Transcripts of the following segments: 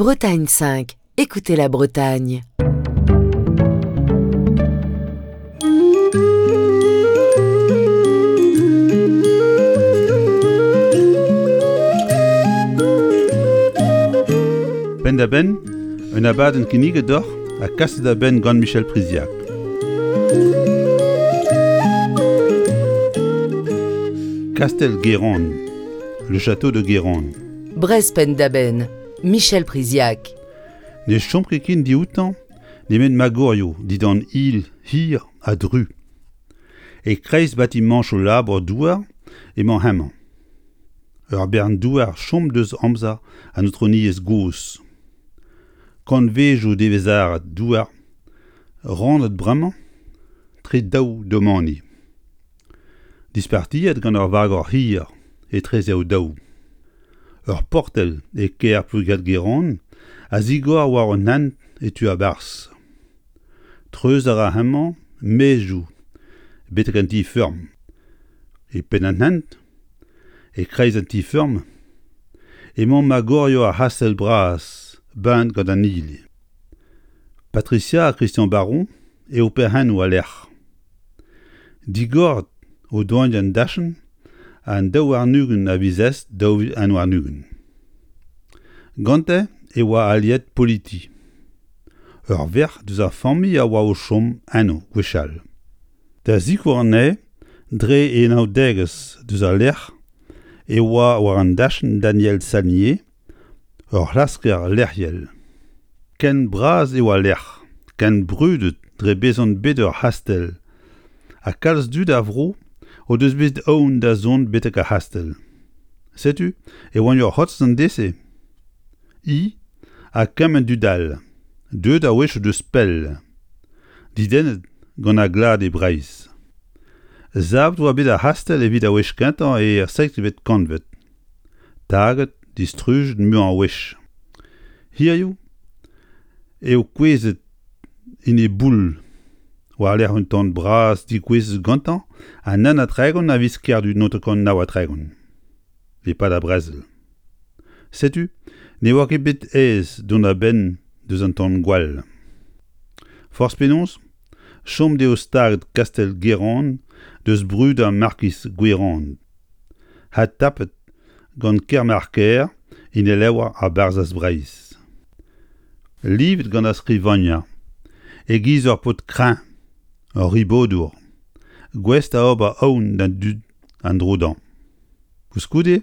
Bretagne 5, écoutez la Bretagne. Penn-da-benn, un abadenn kinniget deoc'h ha kaset da benn gant Michel Priziac. Kastell Guérande, le château de Guérande. Brest penn-da-benn, Michel Priziac. Ne chom ket ken dioutañ nemet magorioù dindan il hir ha dru. E-kreiz batimañchoù labour-douar emañ hemañ. Ur bern douar chom deus amzer an aotrouniezh gozh. Kantvejoù devezharat douar rannet bremañ tre daou domani. Dispartiet gant ur vagor hir etreze o-daou. Ur portell e kêr Plouigat-Guérande a zigor war un hent e tu a-barzh. Treuz a ra hemañ maezioù betek an ti-feurm. E penn an hent, e-kreiz an ti-feurm, emañ magorioù ar c'hastell bras beñet gant an hili. Patricia ha Christian Baron eo perc'hennoù al lec'h. Digoret o doa an dachenn an 22 a viz Est 2021. Gante e oa aliet Politi. Ur verc'h deus ar familh a oa o chom eno gwechall. Da sikour anezhe dre e anaoudegezh deus al lec'h e oa war an dachenn Daniel Salnier, ur c'hlasker lec'hiel. Ken bras eo al lec'h, ken brudet dre bezañ bet ur c'hastell, ha kalz dud a vro o deus bet aon da zont betek ar c'hastell. Setu e oant ur c'hotz an deiz-se. I ha kement dud all, deuet a-wechoù deus pell, dedennet gant ar glad e Breizh. Savet oa bet ar c'hastell evit ar wech kentañ er seizhvet kantved. Taget, distrujet muiañ a wech. Hiziv eo kouezhet en e boull war-lerc'h un tan bras degouezhet gantañ an 31 a viz Kerdu 1939, e-pad ar brezel. Setu ne oa ket bet aes dont a-benn deus an tan-gwall. Forzh penaos, chom dezho staget kastell Guérande deus brud ar markiz Gwerand. Ha tapet gant Kermarker en e levr ar Barzhaz Breizh. Livet gant ar skrivagner e-giz ur paotr kreñv, ur ribodour, gouest da ober aon d'an dud an dro dezhañ. Koulskoude,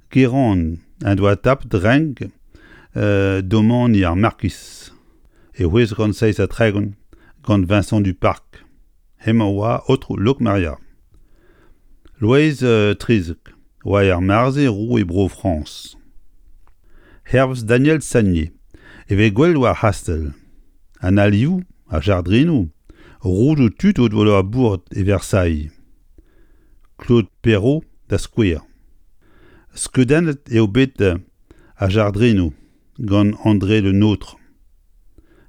Guérande en doa tapet renk domani ar markiz e 637 gant Vincent Duparc. Hemañ oa aotrou Lokmaria. Loeiz Trizek oa er mare-se roue Bro-Frañs. Hervez Daniel Sagnier e vez gwelet war ar c'hastell an alioù, ar jardrinoù, roudoù tud o doa labouret e Versailles. Claude Perrault da skouer. Skeudennet eo bet ar jardrinoù gant André Le Nôtre,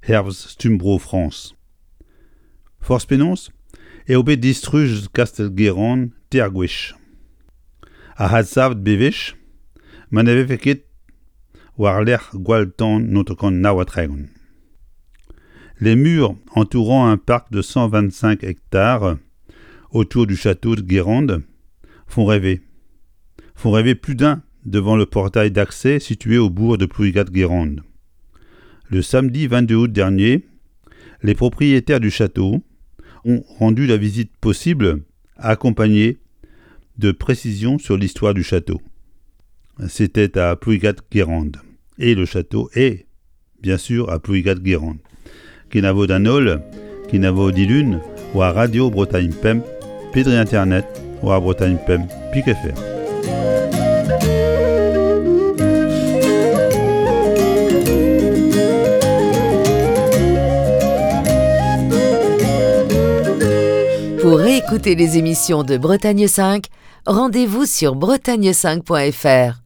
hervez stumm Bro-Frañs. Forzh penaos eo bet distrujet kastell Guérande teir gwech. Ha adsavet bewech ma ne vefe ket war-lerc'h gwall-tan 1939. Les murs entourant un parc de 125 hectares autour du château de Guérande font rêver. Font rêver plus d'un devant le portail d'accès situé au bourg de Plouigat-Guérande. Le samedi 22 août dernier, les propriétaires du château ont rendu la visite possible accompagnée de précisions sur l'histoire du château. C'était à Plouigat-Guérande. Et le château est, bien sûr, à Plouigat-Guérande. Kenavo d'an holl, kenavo dilun, war Radio Bretagne Pemp, pe dre internet, war Bretagne Pemp, pik FR. Pour réécouter les émissions de Bretagne 5, rendez-vous sur bretagne5.fr.